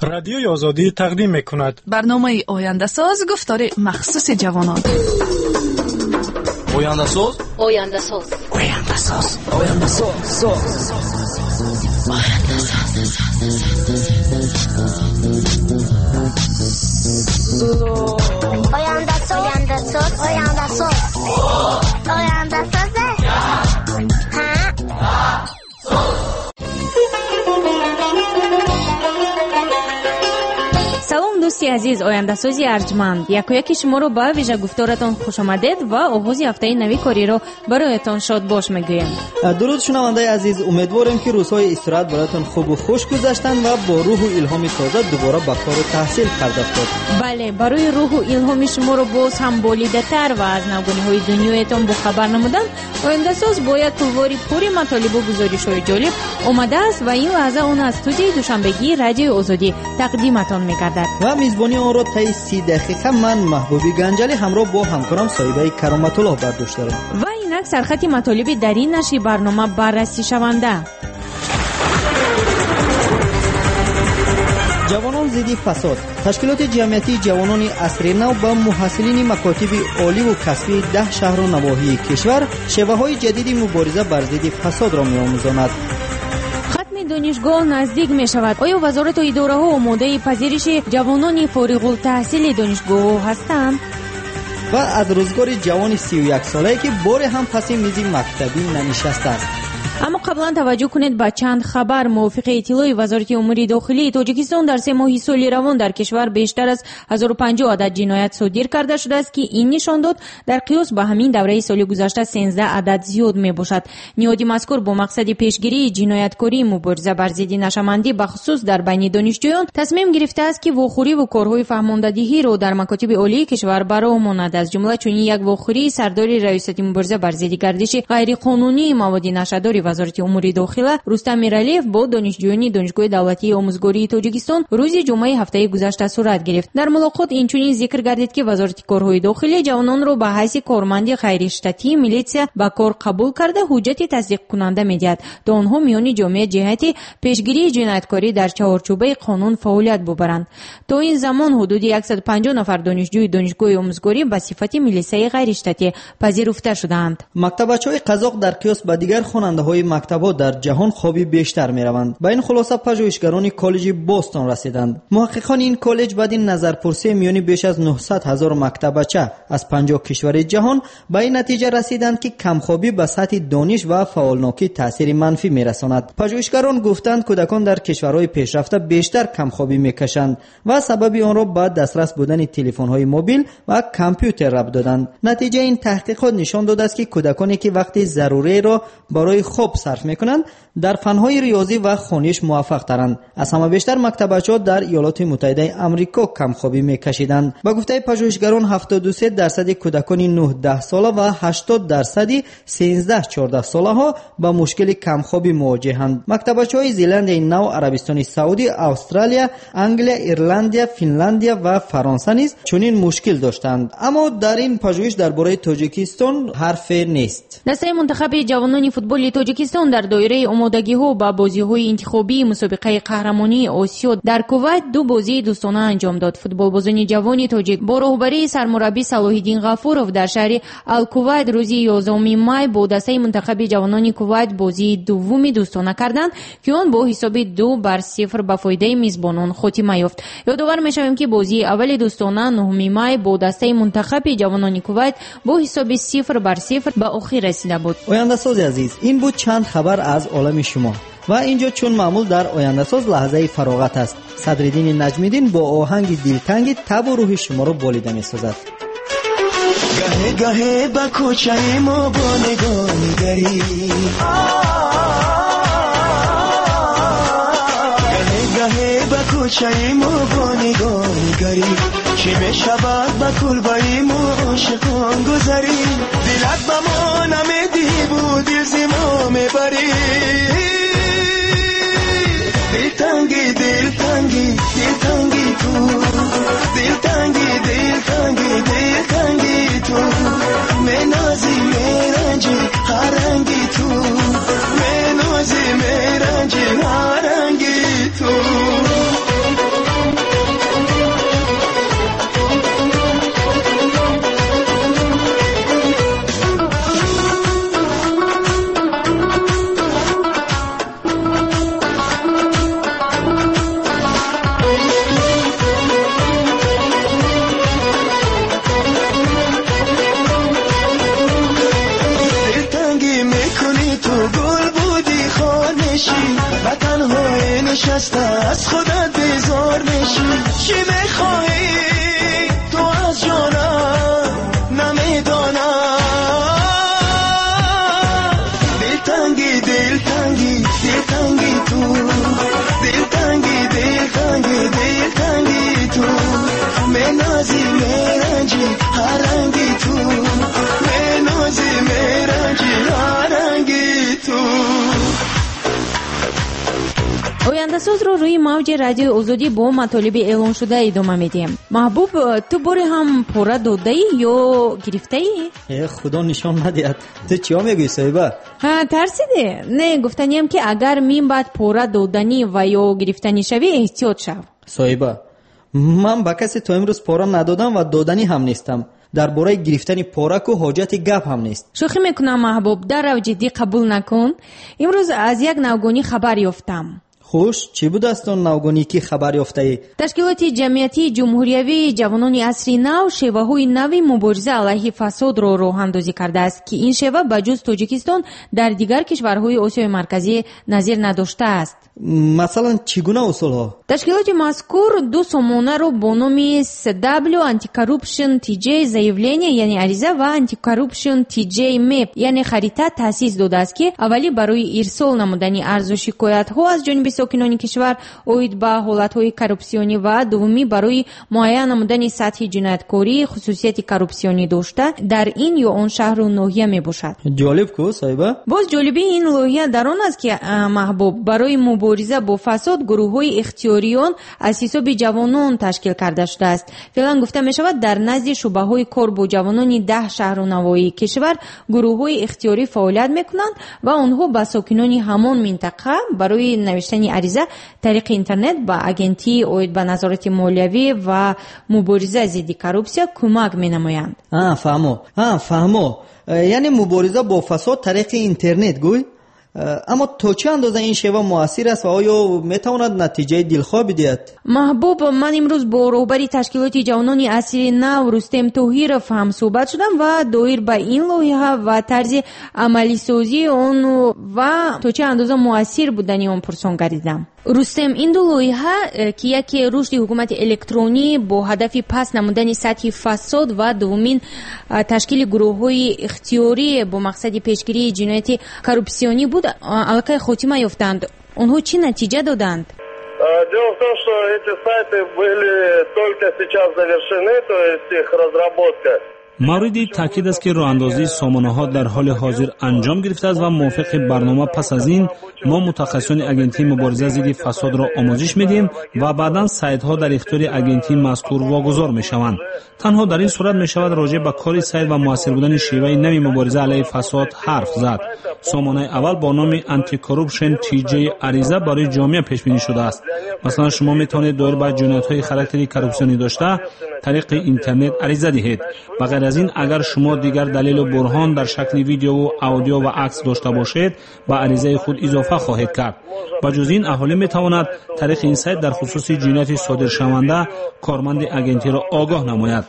Радиои Озодӣ тақдим мекунад. Барномаи Ояндасоз, гуфтори махсуси ҷавонон. Ояндасоз, Ояндасоз, Ояндасоз, Ояндасоз, соз. Ояндасоз, Ояндасоз, Ояндасоз, Ояндасоз. Ҳа. Салом, дӯсти азиз, ояндасози арҷманд. Якояки шуморо ба вижагуфторатон хушомадед ва оғози ҳафтаи нави кориро бароятон шодбош мегӯем. Дуруд, шунавандаи азиз. Умедворем, ки рӯзҳои истироҳат бароятон хубу хуш гузаштанд ва бо рӯҳу илҳоми тоза дубора ба кору таҳсил пардохтед. Бале, барои рӯҳу илҳоми шуморо боз ҳам болидатар ва аз навгониҳои дунёятон бохабар намудан, ояндасоз бо як тувори пури матолибу гузоришҳои ҷолиб омадааст ва ин лаҳза он аз студияи душанбегии Радиои Озодӣ тақдиматон мегардад. Ва мизбонии онро таи 30 дақиқа ман, Маҳбуби Ганҷалӣ, ҳамроҳ бо ҳамкорам Соҳибаи Кароматуллоҳ бар дӯш дорем. Ва инак сархати матолиби дар ин нашри барнома баррасӣшаванда. Ҷавонон зидди фасод. Ташкилоти ҷамъиятии ҷавонони асри нав ба муҳассилини макотиби оливу касбии 10 шаҳру навоҳии кишвар шеваҳои ҷадиди мубориза бар зидди фасодро меомӯзонад. Хатми донишгоҳ наздик мешавад. Оё вазорату идораҳо омодаи пазириши ҷавонони фориғултаҳсили донишгоҳҳо ҳастанд? Ва аз рӯзгори ҷавони 31-солае, ки боре ҳам паси мизи мактабӣ нанишастааст. Аммо қаблан таваҷҷӯҳ кунед ба чанд хабар. Мувофиқи иттилои Вазорати умури дохилии Тоҷикистон, дар 3 моҳи соли равон дар кишвар бештар аз 1050 адад ҷиноят содир карда шудааст, ки ин нишондод дар қиёс ба ҳамин давраи соли гузашта 13 адад зиёд мебошад. Ниҳоди мазкур бо мақсади пешгирии ҷинояткорӣ, мубориза бар зидди нашъамандӣ, бахусус дар байни донишҷӯён, тасмим гирифтааст, ки вохӯриву корҳои фаҳмондадиҳиро дар макотиби олии кишвар ба роҳ монад. Аз ҷумла чунин як вохӯрии сардори Раёсати мубориза бар зидди гардиши ғайриқонунии маводи нашъадори Вазорати умури дохила Рустам Миралиев бо донишҷӯёни Донишгоҳи давлатии омӯзгории Тоҷикистон рӯзи ҷумъаи ҳафтаи гузашта сурат гирифт. Дар мулоқот инчунин зикр гардид, ки Вазорати корҳои дохилӣ ҷавононро ба ҳайси корманди ғайриштатии милитсия ба кор қабул карда, ҳуҷҷати тасдиқкунанда медиҳад, то онҳо миёни ҷомеа ҷиҳати пешгирии ҷинояткорӣ дар чаҳорчӯбаи қонун фаъолият бубаранд. То ин замон ҳудуди 150 нафар донишҷӯи донишгоҳи омӯзгорӣ ба сифати милисаи ғайриштатӣ пазируфта шудаанд. Мактабачаҳои қазоқ дар қиёс ба дигар хонандаҳои мактабҳо дар ҷаҳон хоби бештар мераванд. Ба ин хулоса пажӯҳишгарони коллеҷи Бостон расиданд. Муҳаққиқони ин коллеҷ баъди назарпурсии миёни беш аз 900 ҳазор мактабача аз 50 кишвари ҷаҳон ба ин натиҷа расиданд, ки камхобӣ ба сатҳи дониш ва фаъолнокӣ таъсири манфӣ мерасонад. Пажӯҳишгарон гуфтанд, кӯдакон дар кишварҳои пешрафта бештар камхобӣ мекашанд ва сабаби онро ба дастрас будани телефонҳои мобил ва компютер рабт доданд. Натиҷаи ин таҳқиқот нишон додааст, ки кӯдаконе ки вақти заруриро барои хоб сарф мекунанд, дар фанҳои риёзӣ ва хониш муваффақтаранд. Аз ҳама бештар мактабачаҳо дар Иёлоти Муттаҳидаи Амрико камхобӣ мекашиданд. Ба гуфтаи пажӯҳишгарон, 73% кӯдакони 9-10 сола ва 80% 13-14 солаҳо ба мушкили камхобӣ мувоҷеҳанд. Мактабачаҳои Зеландияи Нав, Арабистони Саудӣ, Австралия, Англия, Ирландия, Финландия ва Фаронса низ чунин мушкил доштанд. Аммо дар ин пажӯҳиш дар бораи Тоҷикистон ҳарфе нест. Дастаи мунтахаби ҷавонони футболи Тоҷикистон дар доираи омодагиҳо ба бозиҳои интихобии мусобиқаи қаҳрамонии Осиё дар Кувайт 2 бозии дӯстона анҷом дод. Футболбозони ҷавони тоҷик бо роҳбарии сармураббӣ Салоҳиддин Ғафуров дар шаҳри Алкувайт рӯзи 11 май бо дастаи мунтахаби ҷавонони Кувайт бозии дуввуми дӯстона карданд, ки он бо ҳисоби 2-0 ба фоидаи мизбонон хотима ёфт. Ёдовар мешавем, ки бозии аввали дӯстона 9 май бо дастаи мунтахаби ҷавонони Кувайт бо ҳисоби 0-0 ба охир расида буд. Ояндасози азиз, ин буд чанд хабар аз олами шумо. Ва инҷо чун маъмул дар Ояндасоз лаҳзаи фароғат аст. Садриддини Наҷмиддин бо оҳанги дилтанги табу рӯҳи шуморо болида месозад. Гаҳе гаҳе ба кӯчаи мо бо нигоҳ нигарӣ, гаҳе гаҳе ба кӯчаи мо бо нигоҳ нигарӣ, чӣ мешавад ба кулбаи мо ошиқон гузарӣ, дилат ба мо намедиҳӣ бу дил зи мо мебарӣ. Дилтанги, дилтанги, дилтанги ту, дилтанги, дилтанги, дилтанги ту, менози, меранҷи ҳаранги ту, менози, меранҷи ҳаранги ту. Аз худат безор мешӣ. Чӣ мехоҳӣ ту аз ҷонам намедонам. Дилтангӣ, дилтангӣ, дилтангӣ ту, дилтангӣ, дилтангӣ, дилтангӣ ту, менозӣ, меранҷӣ ҳар ранги ту, менозӣ, меранҷӣ ҳар ранги ту. Ояндасозро рӯи мавҷи Радиои Озодӣ бо матолиби эълоншуда идома медиҳем. Маҳбуб, ту боре ҳам пора додаӣ ё гирифтаӣ? Э, Худо нишон надиҳад. Ту чиё мегӯӣ, Соҳиба? Ҳа, тарсидӣ? Не, гуфтаниям, ки агар мин баъд пора доданӣ ва ё гирифтанӣ шавӣ, эҳтиёт шав. Соҳиба, ман ба касе то имрӯз пора надодам ва доданӣ ҳам нестам. Дар бораи гирифтани пора ку ҳоҷати гап ҳам нест. Шӯхӣ мекунам, Маҳбуб, даррав ҷиддӣ қабул накун. Имрӯз аз як навгонӣ хабар ёфтам. Хуш, чӣ будааст он навгонӣ, ки хабар ёфтаӣ? Ташкилоти ҷамъиятии ҷумҳуриявии ҷавонони асри нав шеваҳои нави мубориза алайҳи фасодро роҳандозӣ кардааст, ки ин шева ба ҷуз Тоҷикистон дар дигар кишварҳои Осиёи Марказӣ назир надоштааст. Масалан, чӣ гуна усулҳо? Ташкилоти мазкур ду сомонаро бо номи SW Anticorruption TJ заявление, яъне ариза, ва Anticorruption TJ Map, яъне харита, таъсис додааст, ки аввалӣ барои ирсол намудани арзу шикоятҳо аз ҷониби сокинони кишвар оид ба ҳолатҳои коррупсионӣ ва дуввумӣ барои муайян намудани сатҳи ҷинояткорӣ хусусияти коррупсионӣ дошта дар ин ё он шаҳру ноҳия мебошад. Ҷолиб ку, Соҳиба? Боз ҷолибии ин лоиҳа дар он аст, ки Маҳбуб, барои мубориза бо фасод гурӯҳҳои ихтиёриён аз ҳисоби ҷавонон ташкил карда шудааст. Феълан, гуфта мешавад, дар назди шӯъбаҳои кор бо ҷавонони 10 шаҳру навоҳии кишвар гурӯҳҳои ихтиёрӣ фаъолият мекунанд ва онҳо ба сокинони ҳамон минтақа барои навиштани ариза тариқи интернет ба агентии оид ба назорати молиявӣ ва мубориза зидди коррупсия кӯмак менамоянд. Фаҳмо, фаҳмо, яъне мубориза бо фасод тариқи интернет, гӯй. Аммо то чӣ андоза ин шева муассир аст ва оё метавонад натиҷаи дилхоҳ бидиҳад? Маҳбуб, ман имрӯз бо роҳбари ташкилоти ҷавонони асри нав Рустем Тоҳиров ҳам суҳбат шудам ва доир ба ин лоиҳа ва тарзи амалисозии он ва то чӣ андоза муассир будани он пурсон гардидам. Рустем, ин ду лоиҳа, ки яке рушди ҳукумати электронӣ бо ҳадафи паст намудани сатҳи фасод ва дуввумин ташкили гурӯҳҳои ихтиёрӣ бо мақсади пешгирии ҷинояти коррупсионӣ буд, аллакай хотима ёфтанд. Онҳо чӣ натиҷа доданд? Дело в том, что эти сайты были только сейчас завершены, то есть их разработка. Мавриди таъкид аст, ки роҳандозии сомонаҳо дар ҳоли ҳозир анҷом гирифтааст ва мувофиқи барнома пас аз ин мо мутахассисони агентии мубориза зидди фасодро омӯзиш медиҳем ва баъдан сайтҳо дар ихтиёри агентии мазкур вогузор мешаванд. Танҳо дар ин сурат мешавад роҷеъ ба кори сайт ва муассир будани шеваи нави мубориза алайҳи фасод ҳарф зад. Сомонаи аввал бо номи Anticorruption TJ ариза барои ҷомеа пешбинӣ шудааст. Масалан, шумо метавонед доир ба ҷиноятҳои характери коррупсионӣ дошта тариқи интернет ариза диҳед. Ба ғайр аз ин, агар шумо дигар далелу бурҳон дар шакли видеову аудио ва акс дошта бошед, ба аризаи худ изофа хоҳед кард. Ба ҷуз ин, аҳолӣ метавонад тариқи ин сайт дар хусуси ҷинояти содиршаванда корманди агентиро огоҳ намояд.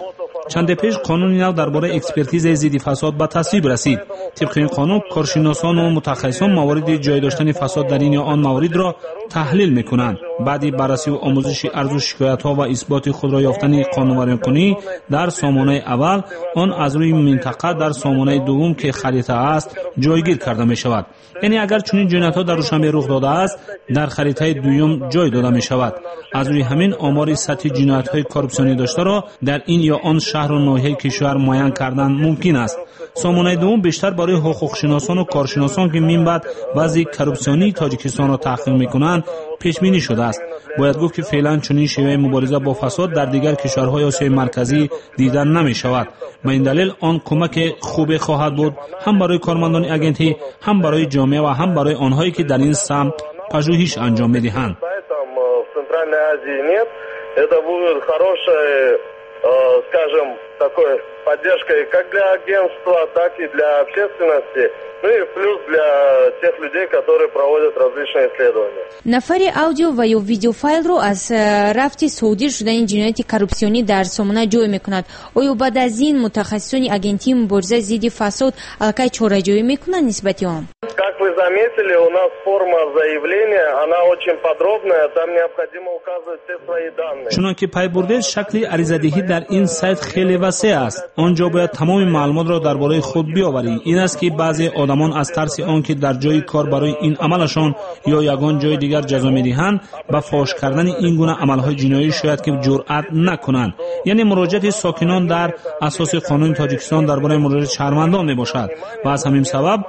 Чанде пеш қонуни нав дар бораи экспертизаи зидди фасод ба тасвиб расид. Тибқи ин қонун, коршиносону мутахассисон мавориди ҷой доштани фасод дар ин ё он мавридро таҳлил мекунанд. Баъди баррасиву омӯзиши арзу шикоятҳо ва исботи худро ёфтани қонунвайронкунӣ дар сомонаи аввал, он аз рӯи минтақа дар сомонаи дуввум, ки харита аст, ҷойгир карда мешавад. Яъне агар чунин ҷиноятҳо дар Душанбе рух додааст, дар харитаи дуюм ҷой дода мешавад. Аз рӯи ҳамин омори сатҳи ҷиноятҳои коррупсионӣ доштаро дар ин ё он шаҳру ноҳияи кишвар муайян кардан мумкин аст. Сомонаи дуввум бештар барои ҳуқуқшиносону коршиносон, ки минбаъд вазъи коррупсионии Тоҷикистонро таҳқиқ мекунанд, пешбинӣ шудааст. Бояд гуфт, ки феълан чунин шеваи мубориза бо фасод дар дигар кишварҳои Осиёи Марказӣ дида намешавад. Ба ин далел он кӯмаке хубе хоҳад буд ҳам барои кормандони агентӣ, ҳам барои ҷомеа ва ҳам барои онҳое, ки дар ин самт пажӯҳиш анҷом медиҳанд. В Центральной Азии нет. Это будет хороший, скажем, такой поддержкой как для агентства, так и для общественности, ну и плюс для тех людей, которые проводят различные исследования. Нафари аудио ва ё видеофайлро аз рафти содир шудани ҷинояти коррупсионӣ дар сомона ҷой мекунад. Оё баъд аз ин мутахассисони Агентии мубориза зидди фасод аллакай чораҷӯӣ мекунанд нисбати он? Как вы заметили, у нас форма заявления, она очень подробная, там необходимо указывать все свои данные. Чунон ки пай бурдед, шакли аризадиҳӣ дар ин сайт хеле васеъ аст. Он ҷо бояд тамоми маълумотро дар бораи худ биёварӣ. Ин аст, ки баъзе одамон аз тарси он ки дар ҷои кор барои ин амалашон ё ягон ҷои дигар ҷазо медиҳанд, ба фош кардани ин гуна амалҳои ҷиноӣ шояд ки ҷуръат накунанд. Яъне муроҷиати сокинон дар асоси қонуни Тоҷикистон дар бораи муроҷиати шаҳрвандон мебошад ва аз ҳамин сабаб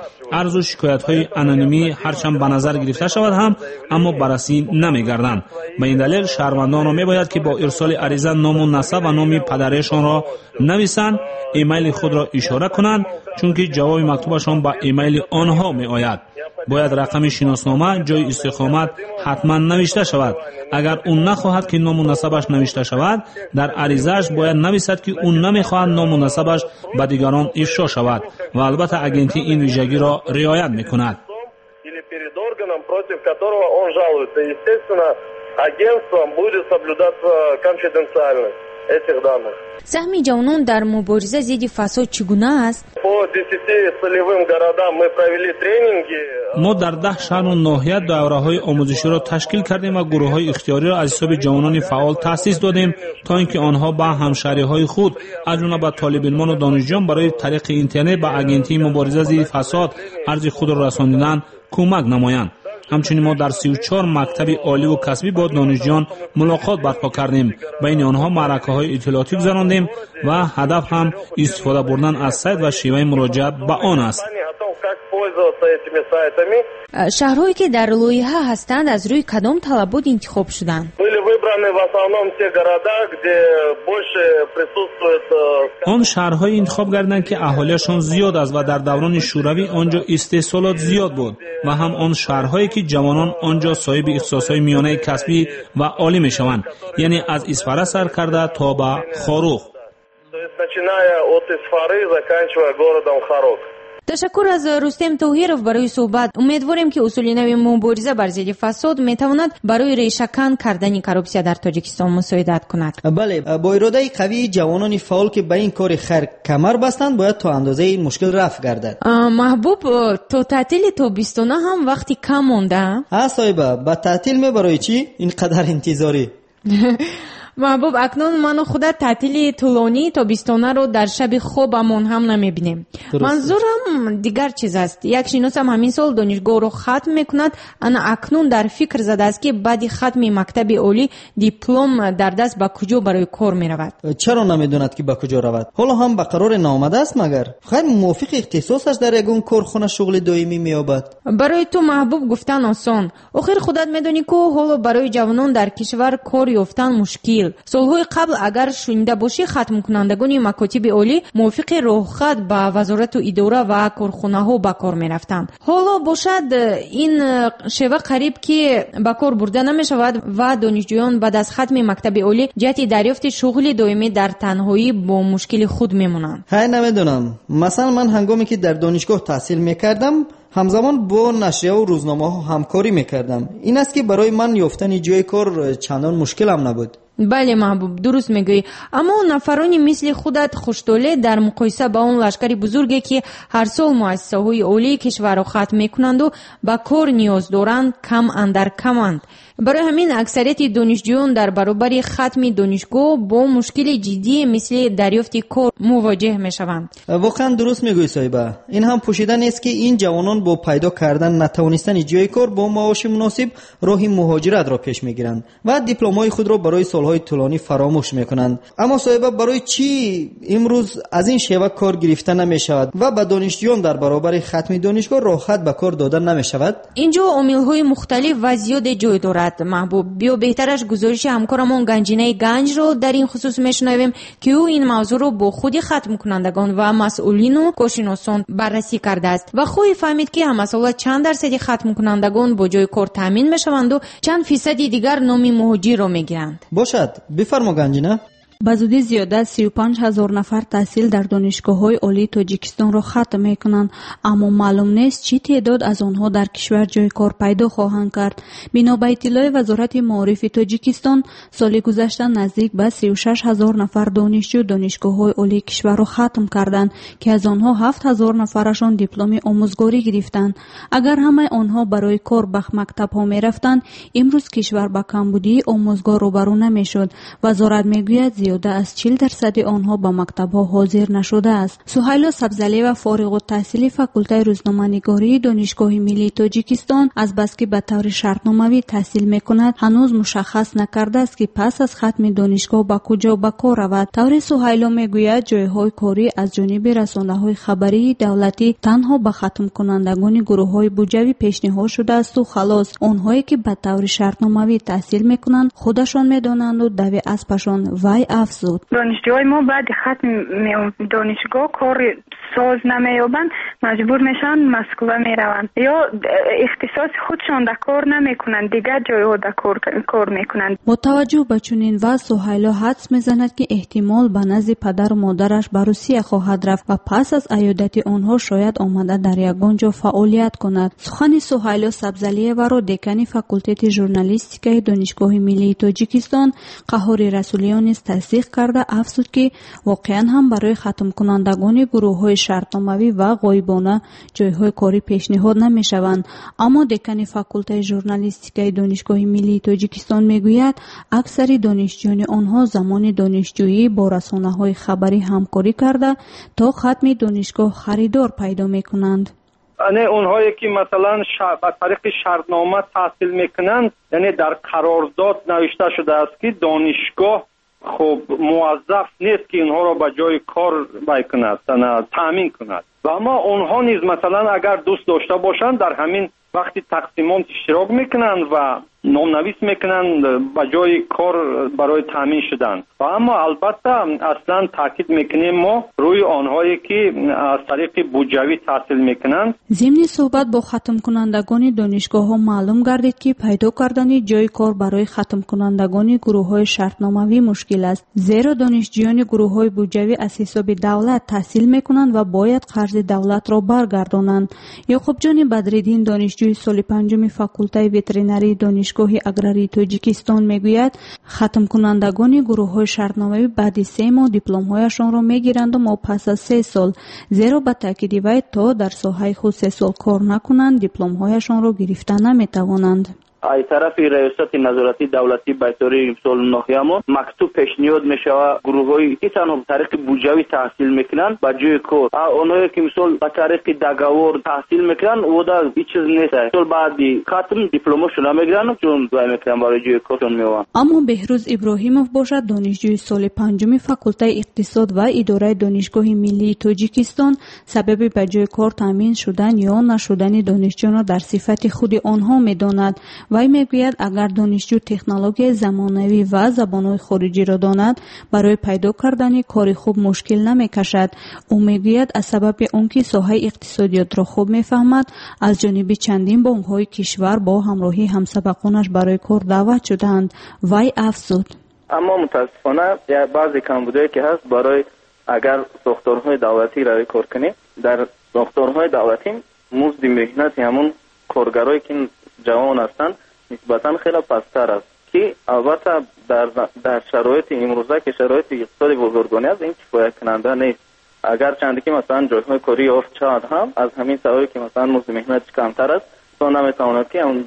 арзу шикоятҳои анонимӣ ҳарчанд ба назар гирифта шавад ҳам, аммо баррасӣ намегарданд. Ба ин далел шаҳрвандонро мебояд, ки бо ирсоли ариза ному насаб ва номи падаришонро нависанд, эмайли худро ишора кунанд, чунки ҷавоби мактубашон ба эмайли онҳо меояд. Бояд рақами шиноснома, ҷои истиқомат ҳатман навишта шавад. Агар ӯ нахоҳад, ки ному насабаш навишта шавад, дар аризааш бояд нависад, ки ӯ намехоҳад ному насабаш ба дигарон ифшо шавад ва албатта агентӣ ин вижагиро риоят мекунад. Или перед органом, против которого он жалуется. Естественно, агентством будет соблюдаться конфиденциальность этих данных. Саҳми ҷавонон дар мубориза зидди фасод чӣ гуна аст? По 10 целевым городам мы провели тренинги. Мо дар 10 шаҳру ноҳия давраҳои омӯзиширо ташкил кардем ва гурӯҳҳои ихтиёриро аз ҳисоби ҷавонони фаъол таъсис додем, то ин ки онҳо ба ҳамшаҳриҳои худ, аз ҷумла ба толибилмону донишҷӯён, барои тариқи интернет ба Агентии мубориза зидди фасод арзи худро расонидан кӯмак намоянд. Ҳамчунин мо дар 34 мактаби оливу касбӣ бо донишҷӯён мулоқот барпо кардем. Байни онҳо маъракаҳои иттилоотӣ гузарондем ва ҳадаф ҳам истифода бурдан аз сайт ва шеваи муроҷиат ба он аст. Шаҳрҳое ки дар лоиҳа ҳастанд, аз рӯи кадом талабот интихоб шуданд? Были выбраны в основном те города, где больше присутствует Он шаҳрҳое интихоб гардиданд, ки аҳолиашон зиёд аст ва дар даврони шӯравӣ он ҷо истеҳсолот зиёд буд, ва ҳам он шаҳрҳое ки ҷавонон он ҷо соҳиби ихтисосҳои миёнаи касбӣ ва олӣ мешаванд, яъне аз Исфара сар карда то ба Хоруғ. То есть начиная от Исфары, заканчивая городом Хорог. Ташаккур аз Рустем Тоҳиров барои суҳбат. Умедворем, ки усули нави мубориза бар зидди фасод метавонад барои решакан кардани коррупсия дар Тоҷикистон мусоидат кунад. Бале, бо иродаи қавии ҷавонони фаъол, ки ба ин кори хайр камар бастанд, бояд то андозаи ин мушкил рафъ гардад. Маҳбуб, то таътили тобистона ҳам вақти кам монда. А, соҳиба, ба таътил мебарои чӣ ин қадар интизорӣ? Маҳбуб, акнун ману худат таътили тӯлонии тобистонаро дар шаби хобамон ҳам намебинем. Манзурам дигар чиз аст. Як шиносам ҳамин сол донишгоҳро хатм мекунад. Ана акнун дар фикр задааст, ки баъди хатми мактаби олӣ диплом дар даст ба куҷо барои кор меравад. Чаро намедонад, ки ба куҷо равад? Ҳоло ҳам ба қароре наомадааст магар? Хайр, мувофиқи ихтисосаш дар ягон корхона шуғли доимӣ меёбад. Барои ту, Маҳбуб, гуфтан осон. Охир худат медонӣ, ку ҳоло барои ҷавонон дар кишвар кор ёфтан мушкил. Солҳои қабл, агар шунида бошӣ, хатмкунандагони макотиби олӣ мувофиқи роҳхат ба вазорату идора ва корхонаҳо ба кор мерафтанд. Ҳоло бошад, ин шева қариб ки ба кор бурда намешавад ва донишҷӯён баъд аз хатми мактаби олӣ ҷиҳати дарёфти шуғли доимӣ дар танҳоӣ бо мушкили худ мемонанд. Ҳай, намедонам. Масалан, ман ҳангоме ки дар донишгоҳ таҳсил мекардам, ҳамзамон бо нашрияву рӯзномаҳо ҳамкорӣ мекардам. Ин аст, ки барои ман ёфтани ҷои кор чандон мушкилам набуд. Бале, Маҳбуб, дуруст мегӯӣ, аммо нафарони мисли худат хуштолеъ дар муқоиса ба он лашкари бузурге, ки ҳар сол муассисаҳои олии кишварро хатм мекунанду ба кор ниёз доранд, кам андар каманд. Барои ҳамин аксарияти донишҷӯён дар баробари хатми донишгоҳ бо мушкили ҷиддие мисли дарёфти кор мувоҷеҳ мешаванд. Воқеан дуруст мегӯӣ, соҳиба. Ин ҳам пӯшида нест, ки ин ҷавонон бо пайдо кардан натавонистани ҷои кор бо маоши муносиб роҳи муҳоҷиратро пеш мегиранд ва дипломҳои худро барои солҳои тӯлонӣ фаромӯш мекунанд. Аммо, соҳиба, барои чӣ имрӯз аз ин шева кор гирифта намешавад ва ба донишҷӯён дар баробари хатми донишгоҳ роҳхат ба кор дода намешавад? Ин ҷо омилҳои мухталиф ва зиёде ҷой дорад, Маҳбуб. Биё, беҳтараш гузориши ҳамкорамон Ганҷинаи Ганҷро дар ин хусус мешунавем, ки ӯ ин мавзӯъро бо худи хатмкунандагон ва масъулину коршиносон баррасӣ кардааст ва хоҳӣ фаҳмид, ки ҳамасола чанд дарсади хатмкунандагон бо ҷои кор таъмин мешаванду чанд фисади дигар номи муҳоҷирро мегиранд. Бошад, бифармо, Ганҷина. Ба зудӣ зиёда аз 35 ҳазор нафар таҳсил дар донишгоҳҳои олии Тоҷикистонро хатм мекунанд, аммо маълум нест, чӣ теъдод аз онҳо дар кишвар ҷойи кор пайдо хоҳанд кард. Бино ба иттилои Вазорати маорифи Тоҷикистон, соли гузашта наздик ба 36 ҳазор нафар донишҷӯ донишгоҳҳои олии кишварро хатм карданд, ки аз онҳо 7 ҳазор нафарашон дипломи омӯзгорӣ гирифтанд. Агар ҳамаи онҳо барои кор ба мактабҳо мерафтанд, имрӯз кишвар ба камбудии омӯзгор рӯбарӯ намешуд. Вазорат мегӯяд, зиёда аз 40% онҳо ба мактабҳо ҳозир нашудааст. Суҳайло Сабзалиева, фориғуттаҳсили факултаи рӯзноманигории Донишгоҳи миллии Тоҷикистон, азбаски ба таври шартномавӣ таҳсил мекунад, ҳанӯз мушаххас накардааст, ки пас аз хатми донишгоҳ ба куҷо ба кор равад. Таври Суҳайло мегӯяд, ҷойҳои корӣ аз ҷониби расонаҳои хабарии давлатӣ танҳо ба хатмкунандагони гурӯҳҳои буҷавӣ пешниҳод шудаасту халос. Онҳое ки ба таври шартномавӣ таҳсил мекунанд, худашон медонанду дави аспашон. Вай афзуд: донишҷӯҳои мо баъди хатми донишгоҳ кори соз намеёбанд, маҷбур мешаванд Москва мераванд ё ихтисоси худшон дар кор намекунанд, дигар ҷойҳо дар кор мекунанд. Бо таваҷҷӯҳ ба чунин вазъ, Суҳайло ҳадс мезанад, ки эҳтимол ба назди падару модараш ба Русия хоҳад рафт ва пас аз аёдати онҳо шояд омада дар ягон ҷо фаъолият кунад. Сухани Суҳайло Сабзалиеваро декани факултети журналистикаи Донишгоҳи миллии Тоҷикистон Қаҳҳори Расулиён низ тасдиқ карда афзуд, ки воқеан ҳам барои хатмкунандагони гурӯҳҳои шартномавӣ ва ғоибона ҷойҳои корӣ пешниҳод намешаванд. Аммо декани факултаи журналистикаи Донишгоҳи миллии Тоҷикистон мегӯяд, аксари донишҷӯёни онҳо замони донишҷӯӣ бо расонаҳои хабарӣ ҳамкорӣ карда то хатми донишгоҳ харидор пайдо мекунанд. Не, онҳое ки масалан ба тариқи шартнома таҳсил мекунанд, яъне дар қарордод навишта шудааст, ки донишгоҳ хуб муваззаф нест, ки инҳоро ба ҷои кор бай кунад, таъмин кунад. Ва аммо онҳо низ масалан агар дӯст дошта бошанд, дар ҳамин вақти тақсимот иштирок мекунанд ва номнавис мекунанд ба ҷои кор барои таъмин шудан. Ва аммо албатта аслан таъкид мекунем мо рӯи онҳое ки аз тариқи буҷавӣ таҳсил мекунанд. Зимни суҳбат бо хатмкунандагони донишгоҳҳо маълум гардид, ки пайдо кардани ҷои кор барои хатмкунандагони гурӯҳҳои шартномавӣ мушкил аст, зеро донишҷӯёни гурӯҳҳои буҷавӣ аз ҳисоби давлат таҳсил мекунанд ва бояд қарзи давлатро баргардонанд. Ёқубҷони Бадриддин, донишҷӯи соли панҷуми факултаи ветеринарии Донишгоҳи аграрии Тоҷикистон, мегӯяд, хатмкунандагони гурӯҳҳои шартномавӣ баъди 3 моҳ дипломҳояшонро мегиранду мо пас аз 3 сол, зеро ба таъкиди вай то дар соҳаи худ 3 сол кор накунанд, дипломҳояшонро гирифта наметавонанд. Ай тарафи раёсати назоратии давлатии байтории мисол ноҳиямо мактуб пешниҳод мешавад гурӯҳҳое ки танҳо ба тариқи буҷавӣ таҳсил мекунанд ба ҷои кор, а онҳое ки мисол ба тариқи договор таҳсил мекунанд, ода ҳеҷ чиз нест. Мисол баъди хатм дипломошро намегиранд, чун вай мекунанд барои ҷои коршон меованд. Аммо Беҳрӯз Иброҳимов бошад, донишҷӯи соли панҷуми факултаи иқтисод ва идораи Донишгоҳи миллии Тоҷикистон, сабаби ба ҷои кор таъмин шудан ё нашудани донишҷӯёнро дар сифати худи онҳо медонад. Вай мегӯяд, агар донишҷӯ технологияи замонавӣ ва забонҳои хориҷиро донад, барои пайдо кардани кори хуб мушкил намекашад. Ӯ мегӯяд, аз сабаби он ки соҳаи иқтисодиётро хуб мефаҳмад, аз ҷониби чандин бонкҳои кишвар бо ҳамроҳии ҳамсабақонаш барои кор даъват шудаанд. Вай афзуд: аммо мутаассифона баъзе камбудиҳое ки ҳаст, барои агар сохторҳои давлатӣ равӣ кор кунӣ, дар сохторҳои давлатӣ музди меҳнати ҳамон коргарое ки ҷавон ҳастанд нисбатан хеле пасттар аст, ки албатта дар шароити имрӯза ки шароити иқтисоди бозоргонӣ аст, ин кифоякунанда нест. Агарчанде ки масалан ҷойҳои корӣ ёфт шавад ҳам, аз ҳамин сабабе ки масалан музди меҳнатиш камтар аст, то наметавонад ки он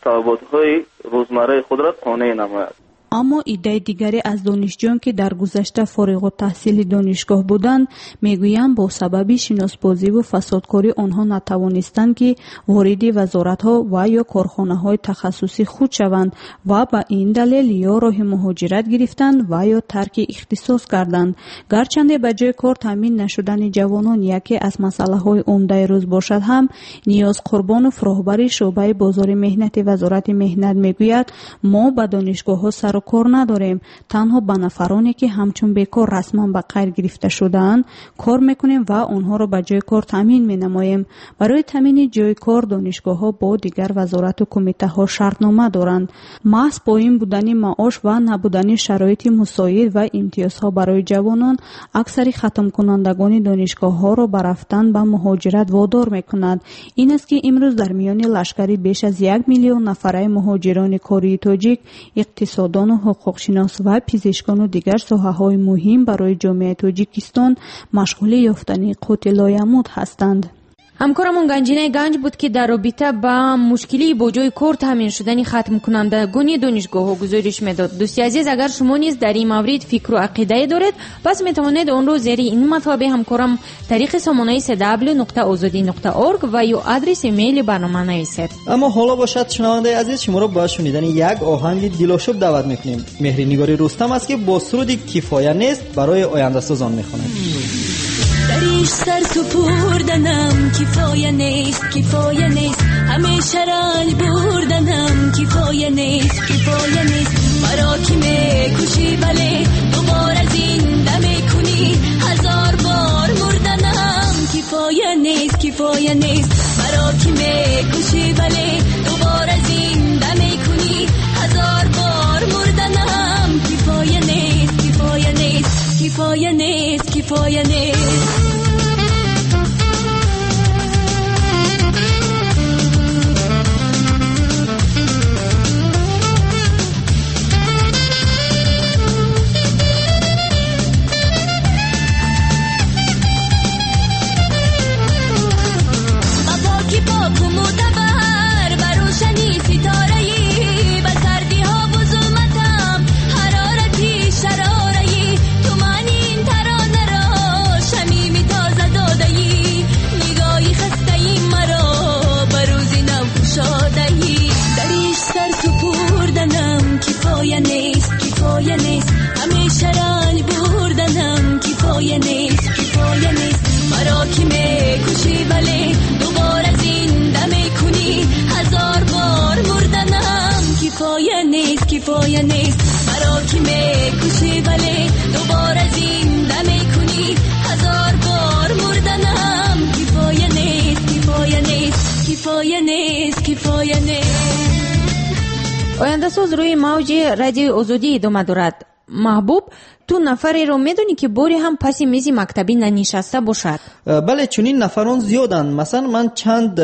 талаботҳои рӯзмарраи худро қонеъ намояд. Аммо иддаи дигаре аз донишҷӯён, ки дар гузашта фориғуттаҳсили донишгоҳ буданд, мегӯянд, бо сабаби шиносбозиву фасодкорӣ онҳо натавонистанд, ки вориди вазоратҳо ва ё корхонаҳои тахассусӣ худ шаванд ва ба ин далел ё роҳи муҳоҷират гирифтанд ва ё тарки ихтисос карданд. Гарчанде ба ҷои кор таъмин нашудани ҷавонон яке аз масъалаҳои умдаи рӯз бошад ҳам, Ниёз Қурбонов, роҳбари шӯъбаи бозори меҳнати Вазорати меҳнат, мегӯяд, мо ба донишгоҳҳо сару сару кор надорем. Танҳо ба нафароне, ки ҳамчун бекор расман ба қайд гирифта шудаанд, кор мекунем ва онҳоро ба ҷои кор таъмин менамоем. Барои таъмини ҷои кор донишгоҳҳо бо дигар вазорату кумитаҳо шартнома доранд. Маҳз поин будани маош ва набудани шароити мусоид ва имтиёзҳо барои ҷавонон аксари хатмкунандагони донишгоҳҳоро ба рафтан ба муҳоҷират водор мекунад. Ин аст, ки имрӯз дар миёни лашкари беш аз 1 миллион нафараи муҳоҷирони кории тоҷик, иқтисодону ҳуқуқшинос ва пизишкону дигар соҳаҳои муҳим барои ҷомеаи Тоҷикистон машғули ёфтани қути лоямут ҳастанд. Ҳамкорамон Ганҷинаи Ганҷ буд, ки дар робита ба мушкилии бо ҷои кор таъмин шудани хатмкунандагони донишгоҳҳо гузориш медод. Дӯсти азиз, агар шумо низ дар ин маврид фикру ақидае доред, пас метавонед онро зери ин матлаби ҳамкорам тариқи сомонаи cw.ozodi.org ва ё адреси имейли барнома нависед. Аммо ҳоло бошад, шунавандаи азиз, шуморо ба шунидани як оҳанги дилошуб даъват мекунем. Меҳринигори Рустам аст, ки бо суруди «Кифоя нест» барои ояндасозон мехонад. Дариш сар супурданам кифоя нест, кифоя нест, ҳамеша ранҷ бурданам кифоя нест, кифоя нест. Маро ки мекушӣ, вале дубора зинда мекунӣ, ҳазор бор мурданам кифоя нест, кифоя нест. Маро ки мекушӣ, вале дубора зинда мекунӣ, ҳазор бор мурданам кифоя нест, кифоя нест, кифоя нест, кифоя нест. Ба поки поку мӯътабар, ба рӯшани ситораӣ, ба сардиҳову зулматам ҳарорати шарораӣ, ту ман ин таронаро шамими тоза додаӣ, нигоҳи хастаи маро ба рӯзи нав кушодаӣ. Дариш сар супурданам кифоя нест, кифоя нест, ҳамеша ранҷ бурданам кифоя нест, кифоя нест. Маро ки мекушӣ, вале дубора зинда мекунӣ, ҳазор бор мурданам кифоя нест, кифоя нест. Маро ки мекушӣ, вале дубора зинда мекунӣ, ҳазор бор мурданам кифоя нест, кифоя нест, кифоя нест, кифоя нест. Ояндасоз рӯи мавҷи радиои Озодӣ идома дорад. Маҳбуб, ту нафареро медонӣ, ки боре ҳам паси мизи мактабӣ нанишаста бошад? Бале, чунин нафарон зиёданд. Масалан, ман чанд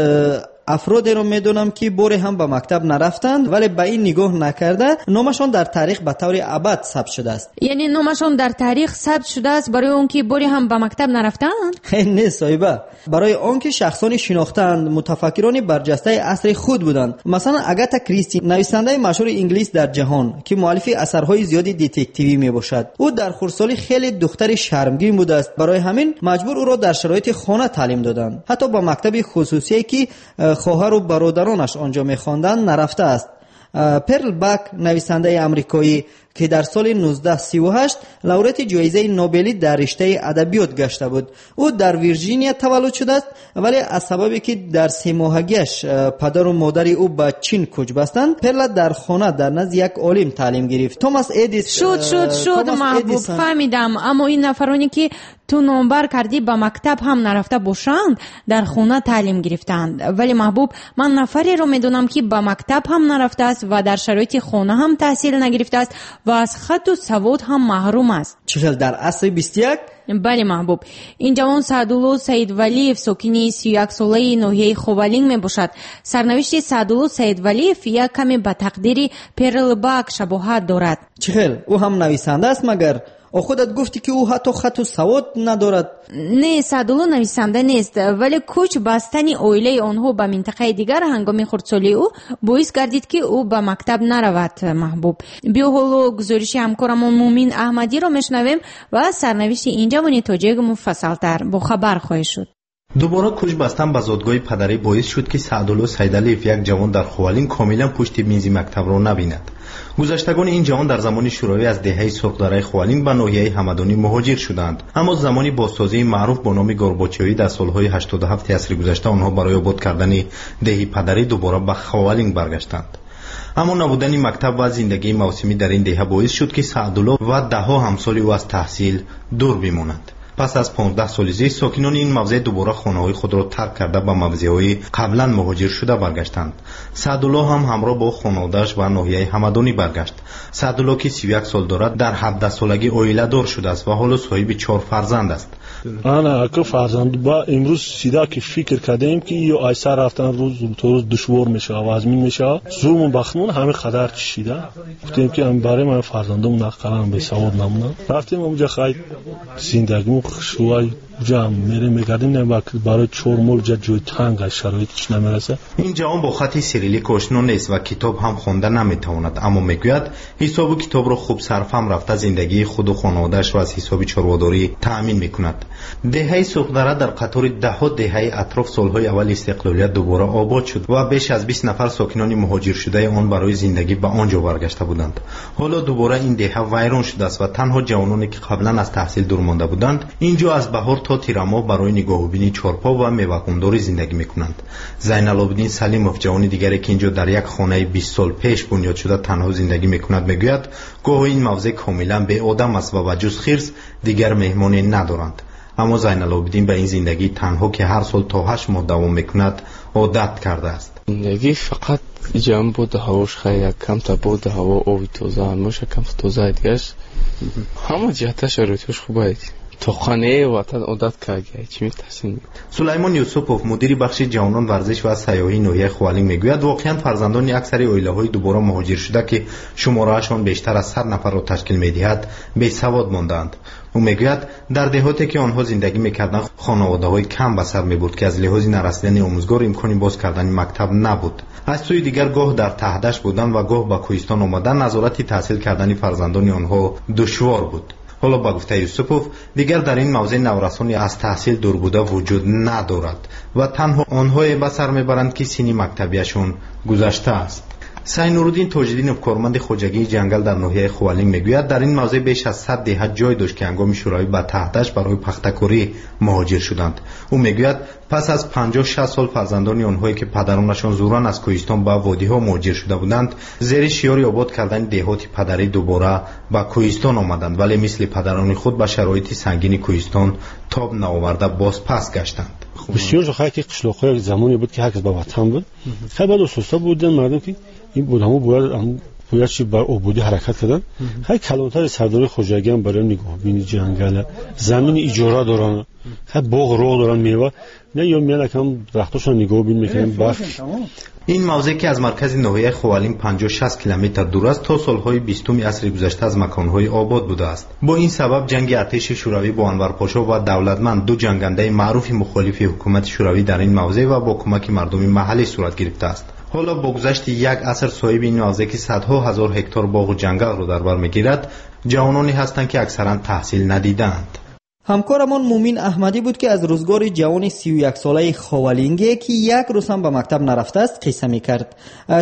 афродеро медонам, ки боре ҳам ба мактаб нарафтанд, вале ба ин нигоҳ накарда номашон дар таърих ба таври абад сабт шудааст. Яъне номашон дар таърих сабт шудааст барои он ки боре ҳам ба мактаб нарафтаанд? Не, соҳиба, барои он ки шахсони шинохтаанд, мутафаккирони барҷастаи асри худ буданд. Масалан, Агата Кристи, нависандаи машҳури инглис дар ҷаҳон, ки муаллифи асарҳои зиёди детективӣ мебошад. Ӯ дар хурдсолӣ хеле духтари шармгин будааст, барои ҳамин маҷбур ӯро дар шароити хона таълим доданд. Ҳатто ба мактаби хусусие, ки хоҳару бародаронаш онҷо мехонданд, нарафтааст. Перл Бак, нависандаи амрикоӣ, ки дар соли 1938 лауреати ҷоизаи Нобелӣ дар риштаи адабиёт гашта буд. Ӯ дар Вирҷиния таваллуд шудааст, вале аз сабабе ки дар семоҳагиаш падару модари ӯ ба Чин кӯч бастанд, Перла дар хона дар назди як олим таълим гирифт. Томас Эдис Шуд, шуд, шуд, Маҳбуб, фаҳмидам. Аммо ин нафароне, ки ту номбар кардӣ, ба мактаб ҳам нарафта бошанд, дар хона таълим гирифтаанд. Вале Маҳбуб, ман нафареро медонам, ки ба мактаб ҳам нарафтааст ва дар шароити хона ҳам таҳсил нагирифтааст ва аз хатту савод ҳам маҳрум аст. Чӣ хел дар асри 21? Бале, Маҳбуб, ин ҷавон Саъдулло Саидвалиев, сокини 31-солаи ноҳияи Ховалинг мебошад. Сарнавишти Саъдулло Саидвалиев як каме ба тақдири Перл Бак шабоҳат дорад. Чӣ хел? Ӯ ҳам нависанда аст магар? Худат гуфтӣ, ки ӯ ҳатто хатту савод надорад. Не, Саъдулло нависанда нест, вале кӯч бастани оилаи онҳо ба минтақаи дигар ҳангоми хурдсолии ӯ боис гардид, ки ӯ ба мактаб наравад. Маҳбуб, биё ҳоло гузориши ҳамкорамон Мумин Аҳмадиро мешунавем ва сарнавишти ин ҷавони тоҷик муфассалтар бохабар хоҳед шуд. Дубора кӯч бастан ба зодгоҳи падарӣ боис шуд, ки Саъдулло Сайдалиев, як ҷавон дар Ховалинг, комилан пушти мизи мактабро набинад. Гузаштагони ин ҷавон дар замони шӯравӣ аз деҳаи Сурхдараи Ховалинг ба ноҳияи Ҳамадонӣ муҳоҷир шуданд. Аммо замони бозсозии маъруф бо номи Горбачёвӣ дар солҳои 87 асри гузашта онҳо барои обод кардани деҳи падарӣ дубора ба Ховалинг баргаштанд. Аммо набудани мактаб ва зиндагии мавсимӣ дар ин деҳа боис шуд, ки Саъдулло ва даҳҳо ҳамсоли ӯ аз таҳсил дур бимонанд. Пас аз 15 соли зист сокинони ин мавзеъ дубора хонаҳои худро тарк карда ба мавзеъҳои қаблан муҳоҷиршуда баргаштанд. Саъдулло ҳам ҳамроҳ бо хонаводааш ба ноҳияи Ҳамадонӣ баргашт. Саъдулло, ки 31 сол дорад, дар 17 солагӣ оиладор шудааст ва ҳоло соҳиби чор фарзанд аст. Ана ака, фарзанд ба имрӯз сида ки фикр кардем, ки ё айсар рафтан рӯз то рӯз душвор мешавад, вазмин мешавад, зурмон бахтмон ҳамин қадар чишида гуфтем, ки барои ман фарзандом нақалан бесавод намонам. Рафтем онҷа, хай, зиндагимон хушрӯай, ҷам мерем, мегардем, барои чор мол ҷа ҷои танг, шароит чӣ намераса. Ин ҷавон бо хати сирилик ошно нест ва китоб ҳам хонда наметавонад, аммо мегӯяд, ҳисобу китобро хуб сарфаҳм рафта, зиндагии худу хонаводаашро аз ҳисоби чорводорӣ таъмин мекунад. Деҳаи Сурхдара дар қатори даҳҳо деҳаи атроф солҳои аввали истиқлолият дубора обод шуд ва беш аз 20 нафар сокинони муҳоҷиршудаи он барои зиндагӣ ба он ҷо баргашта буданд. Ҳоло дубора ин деҳа вайрон шудааст ва танҳо ҷавононе, ки қаблан аз таҳсил дур монда буданд, ин ҷо аз баҳор то тирамоҳ барои нигоҳубини чорпо ва мевақундорӣ зиндагӣ мекунанд. Зайналобиддин Салимов, ҷавони дигаре, ки ин ҷо дар як хонаи 20 сол пеш бунёд шуда танҳо зиндагӣ мекунад, мегӯяд, гоҳо ин мавзеъ комилан беодам аст ва ба ҷуз хирс дигар меҳмоне надоранд. Аммо Зайналобиддин ба ин зиндагии танҳо, ки ҳар сол то 8 моҳ давом мекунад, одат кардааст. Зиндагӣ фақат иҷам боду ҳавош, хай, як камта боду ҳаво, оби тоза ҳамоша камта тоза, дигаш ҳама ҷиҳата шароитҳош хуб аст. То хонаи ватан одат карда, чӣ метарсем? Сулаймон Юсупов, мудири бахши ҷавонон, варзиш ва сайёҳии ноҳияи Ховалинг, мегӯяд, воқеан фарзандони аксари оилаҳои дубора муҳоҷиршуда, ки шумораашон бештар аз 100 нафарро ташкил медиҳад, бесавод мондаанд. Ӯ мегӯяд, дар деҳоте, ки онҳо зиндагӣ мекарданд, хонаводаҳои кам ба сар мебурд, ки аз лиҳози нарасидани омӯзгор имкони боз кардани мактаб набуд. Аз сӯи дигар, гоҳ дар Таҳдашт будан ва гоҳ ба кӯҳистон омадан, назорати таҳсил кардани фарзандони онҳо душвор буд. Ҳоло, ба гуфтаи Юсупов, дигар дар ин мавзеъ наврасони аз таҳсил дур буда вуҷуд надорад ва танҳо онҳое ба сар мебаранд, ки синни мактабияшон гузаштааст. Сайнуруддин Тоҷиддинов, корманди хоҷагии ҷангал дар ноҳияи Ховалинг, мегӯяд, дар ин мавзеъ беш аз 100 деҳа ҷой дошт, ки ҳангоми шӯравӣ ба Таҳдашт барои пахтакорӣ муҳоҷир шуданд. Ӯ мегӯяд, пас аз 50-60 сол фарзандони онҳое, ки падаронашон зӯран аз кӯҳистон ба водиҳо муҳоҷир шуда буданд, зери шиёри обод кардани деҳоти падарӣ дубора ба кӯҳистон омаданд, вале мисли падарони худ ба шароити сангини кӯҳистон тоб наоварда, боз пас гаштанд. Бисёр хай, ки қишлоқҳо замоне буд, ки ҳар кас ба ватан буд. Хай, баъд ососта буданд мардум, ки ин буд, ҳамон бояд чи бар ободӣ ҳаракат кардан. Хай, калонтари сардори хоҷагиам барои нигоҳбини ҷангала замини иҷора доранд, хай, боғ роғ доранд, мева не ё меянакам дарахтошон нигоҳбин мекунем, барф. Ин мавзеъ, ки аз маркази ноҳияи Ховалинг 50-60 километр дур аст, то солҳои 20-уми асри гузашта аз маконҳои обод будааст. Бо ин сабаб ҷанги артеши шӯравӣ бо Анварпошо ва Давлатманд, ду ҷангандаи маъруфи мухолифи ҳукумати шӯравӣ, дар ин мавзеъ ва бо кӯмаки мардуми маҳаллӣ сурат гирифтааст. Ҳоло бо гузашти як аср соҳиби ин мавзеъ, ки садҳо ҳазор ҳектор боғу ҷангалро дар бар мегирад, ҷавононе ҳастанд, ки аксаран таҳсил надидаанд. Ҳамкорамон Мумин Аҳмадӣ буд, ки аз рӯзгори ҷавони 31-солаи ховалинге, ки як рӯз ҳам ба мактаб нарафтааст, қисса мекард.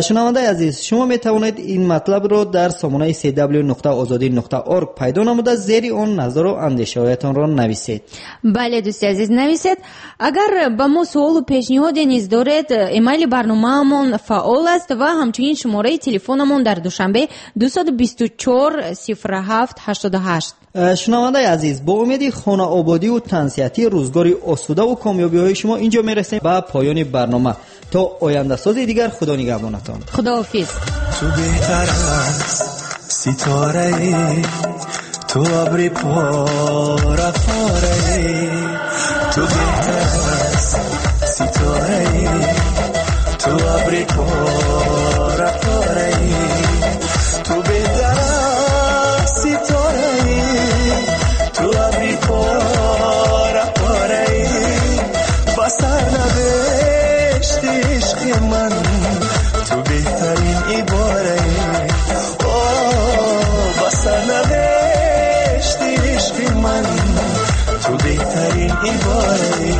Шунавандаи азиз, шумо метавонед ин матлабро дар сомонаи cw.ozodi.org пайдо намуда, зери он назару андешаҳоятонро нависед. Бале, дӯсти азиз, нависед. Агар ба мо суолу пешниҳоде низ доред, эмайли барномаамон фаъол аст ва ҳамчунин шумораи телефонамон дар Душанбе 224 07 88. Шунавандаи азиз, бо умеди хонаободиву тансиҳатӣ, рӯзгори осудаву комёбиҳои шумо инҷо мерасем ба поёни барнома. То ояндасози дигар, Худо нигаҳбонатон. Худоҳофиз. Ту беҳтар аз ситораи, ту абри пора пораи, ту беҳтар аз ситораи, ту абри пора пораи, ту беҳтар аз ситораи, ту абри пора пораи, ба сарнавишти ишқи ман ту беҳтарин ибораи, о, ба сарнавишти ишқи ман ту беҳтарин ибораи.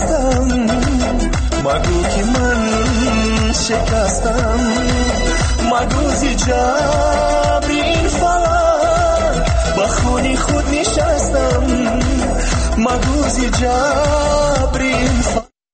ҳастам, магӯ ки ман шикастам, магӯ зи ҷабри ин фалак ба хуни худ нишастам, магӯ зи ҷабри